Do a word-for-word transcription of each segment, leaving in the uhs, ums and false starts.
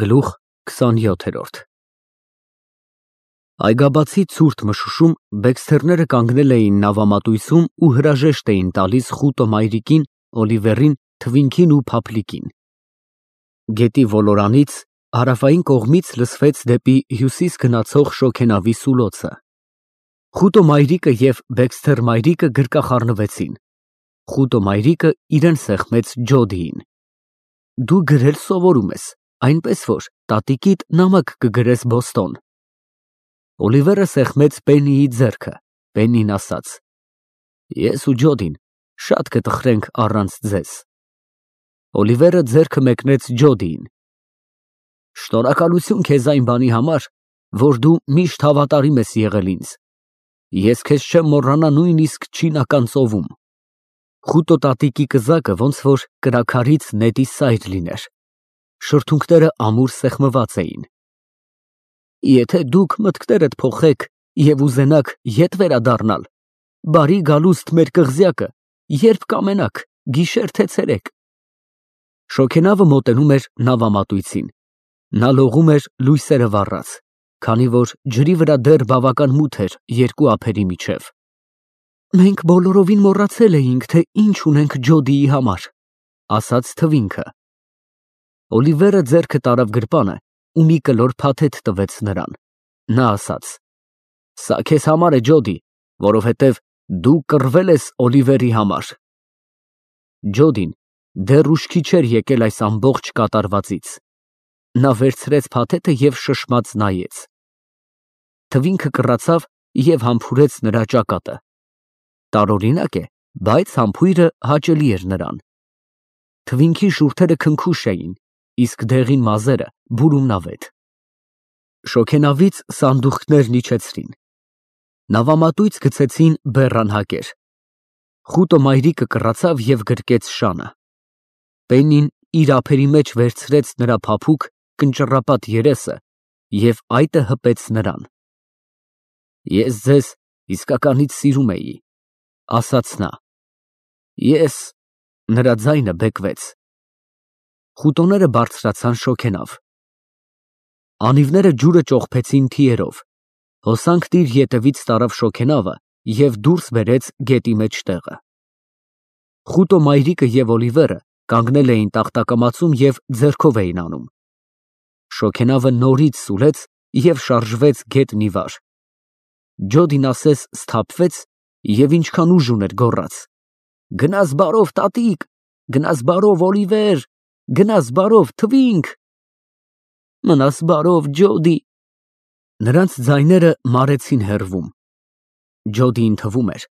Գլուխ քսաներորդ Այգաբացի ցուրտ մշուշում բեքսթերները կանգնել էին նավամատույցում ու հրաժեշտ էին տալիս խուտո մայրիկին, Օլիվերին, Թվինքին ու Փափլիկին։ Գետի ոլորանից հարավային կողմից լսվեց դեպի հյուսիս գնացող շոգենավի սուլոցը։ Խուտո մայրիկը և Բեքսթեր մայրիկը գրկախառնվեցին։ Խուտո մայրիկը իրեն սեղմեց Ջոդիին։ Դու գրել սովորում ես, այնպես որ տատիկիդ նամակ կգրես Բոստոն։ Օլիվերը սեղմեց Պեննիի ձեռքը, Պեննին ասաց. Ես ու Ջոդին շատ կտխրենք առանց ձեզ։ Օլիվերը ձեռքը մեկնեց Ջոդիին։ Շնորհակալություն քեզ այն բանի համար, որ դու միշտ հավատարիմ ես եղել ինձ։ Ես քեզ չեմ մոռանա նույնիսկ չինական ծովում։ Խուտո տատիկի կզակը ոնց որ կրաքարից նետի սայր լիներ։ Շրթունքները ամուր սեղմված էին։ Եթե դուք մտքներդ փոխեք և ուզենաք ետ վերադառնալ, բարի գալուստ մեր կղզյակը, երբ կամենաք, գիշեր թե ցերեկ։ Շոգենավը մոտենում էր նավամատույցին։ Նա լողում էր լույսերը վառած, քանի որ ջրի վրա դեռ բավական մութ էր երկու ափերի միջև։ Մենք բոլորովին մոռացել էինք, թե ինչ ունենք Ջոդիի համար, ասաց Թվինքը։ Օլիվերը ձեռքը տարավ գրպանը ու մի կլոր փաթեթ տվեց նրան։ Նա ասաց. Սա քեզ համար է, Ջոդի, որովհետև դու կռվել ես Օլիվերի համար։ Ջոդին դեռ ուշքի չէր եկել այս ամբողջ կատարվածից։ Նա վերցրեց փաթեթը և շշմած նայեց։ Թվինքը կռացավ և համբուրեց նրա ճակատը։ Տարօրինակ է, բայց համբույրը հաճելի էր նրան։ Թվինքի շուրթերը քնքուշ էին, իսկ դեղին մազերը բուրումնավետ։ Շոգենավից սանդուղքներն իջեցրին։ Նավամատույց գցեցին բեռանհակեր։ Խուտո մայրիկը կռացավ և գրկեց շանը։ Պեննին իր ափերի մեջ վերցրեց նրա փափուկ, կնճռապատ երեսը և այտը հպեց նրան։ Ես ձեզ իսկականից սիրում էի, ասաց նա։ Ես… Նրա ձայնը բեկվեց։ Խուտոները բարձրացան շոգենավ։ Անիվները ջուրը ճողփեցին թիերով։ Հոսանքն իր ետևից տարավ շոգենավը և դուրս բերեց գետի մեջտեղը։ Խուտո մայրիկը և Օլիվերը կանգնել էին տախտակամածում և ձեռքով էին անում։ Շոգենավը նորից սուլեց և շարժվեց գետնի վար։ Ջոդին ասես սթափվեց և ինչքան ուժ ուներ գոռաց. Գնաս բարով, տատիկ, գնաս բարով, Օլիվեր, գնաս բարով, Թվինք։ Մնաս բարով, Ջոդի։ Նրանց ձայները մարեցին հեռվում։ Ջոդիին թվում էր,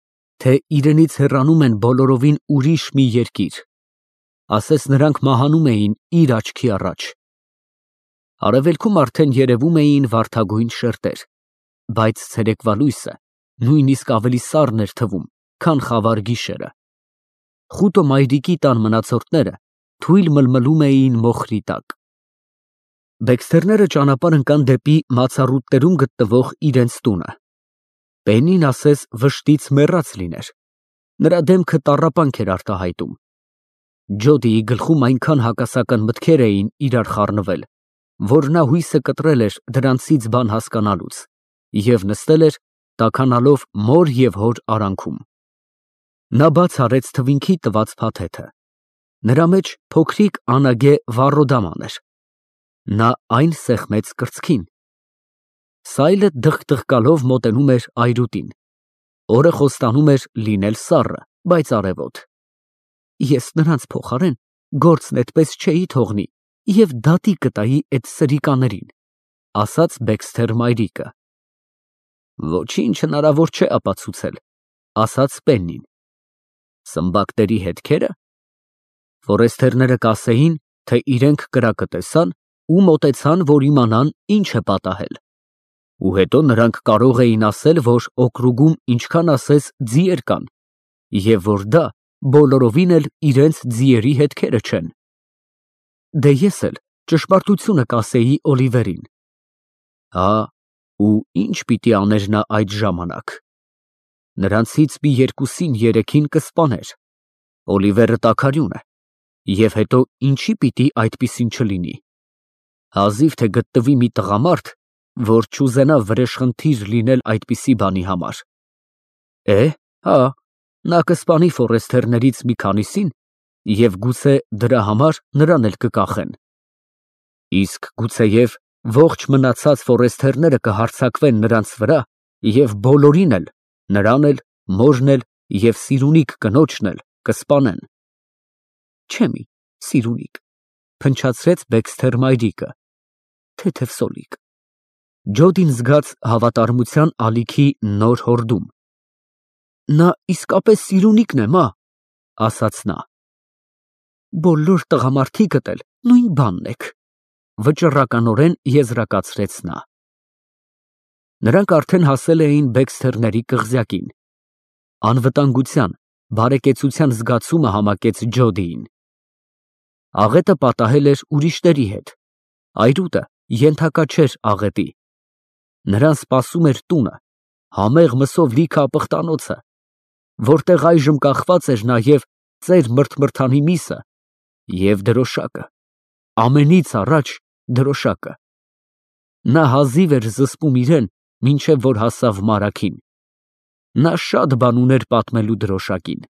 թե իրենից հեռանում են բոլորովին ուրիշ մի երկիր, ասես նրանք մահանում էին իր աչքի առաջ։ Արևելքում արդեն երևում էին վարդագույն շերտեր, բայց ցերեկվա լույսը նույնիսկ ավելի սառն էր թվում, քան խավար գիշերը։ Խուտո մայրիկի տան մնացորդները թույլ մլմլում էին մոխրի տակ։ Բեքսթերները ճանապարհ ընկան դեպի մացառուտներում գտնվող իրենց տունը։ Պեննին ասես վշտից մեռած լիներ։ Նրա դեմքը տառապանք էր արտահայտում։ Ջոդիի գլխում այնքան հակասական մտքեր էին իրար խառնվել, որ նա հույսը կտրել էր դրանցից բան հասկանալուց և նստել էր, տաքանալով մոր և հոր արանքում։ Նա բաց արեց Թվինքի տված փաթեթը։ Նրա մեջ փոքրիկ անագե վառոդաման էր։ Նա այն սեղմեց կրծքին։ Սայլը դղկդղկալով մոտենում էր այրուտին։ Օրը խոստանում էր լինել սառը, բայց արևոտ։ Ես նրանց փոխարեն գործն այդպես չէի թողնի և դատի կտայի էդ սրիկաներին, ասաց Բեքսթեր մայրիկը։ Ոչինչ հնարավոր չէ ապացուցել, ասաց Պեննին։ Սմբակների հետքերը։ Ֆորեստերները կասեին, թե իրենք կրակը տեսան ու մոտեցան, որ իմանան ինչ է պատահել։ Ու հետո նրանք կարող էին ասել, որ օկրուգում ինչքան ասես ձիեր կան, և որ դա բոլորովին էլ իրենց ձիերի հետքերը չեն։ Դե ես էլ ճշմարտությունը կասեի Օլիվերին։ Հա, ու ինչ պիտի աներ նա այդ ժամանակ։ Նրանցից մի երկուսին երեքին կսպաներ։ Օլիվերը տաքարյուն է։ Եվ հետո ինչի պիտի այդպիսին չլինի։ Հազիվ թե գտնվի մի տղամարդ, որ չուզենա վրեժխնդիր լինել այդպիսի բանի համար։ Է, հա, նա կսպանի ֆորեստերներից մի քանիսին և գուցե դրա համար նրան էլ կկախեն։ Իսկ գուցեև ողջ մնացած ֆորեստերները կհարձակվեն նրանց վրա և բոլորին էլ, նրան էլ, մորն էլ և սիրունիկ կնոջն էլ կսպանեն։ Չէ մի, սիրունիկ, փնչացրեց Բեքսթեր մայրիկը, թեթև սոլիկ։ Ջոդին զգաց հավատարմության ալիքի նոր հորդում։ Նա իսկապես սիրունիքն է, մա, ասաց նա։ Բոլոր տղամարդիկդ էլ նույն բանն եք, վճռականորեն եզրակացրեց նա։ Նրանք արդեն հասել էին Բեքսթերների կղզյակին։ Անվտանգության, բարեկեցության զգացումը համակեց Ջոդիին։ Աղետը պատահել էր ուրիշների հետ, այրուտը ենթակա չէր աղետի։ Նրան սպասում էր տունը, համեղ մսով լիքը ապխտանոցը, որտեղ այժմ կախված էր նաև ծեր մրթմրթանի միսը և դրոշակը, ամենից առաջ դրոշակը։ Նա հազիվ էր զսպում իրեն, մինչև որ հասավ մարագին։ Նա շատ բան ուներ պատմելու դրոշակին։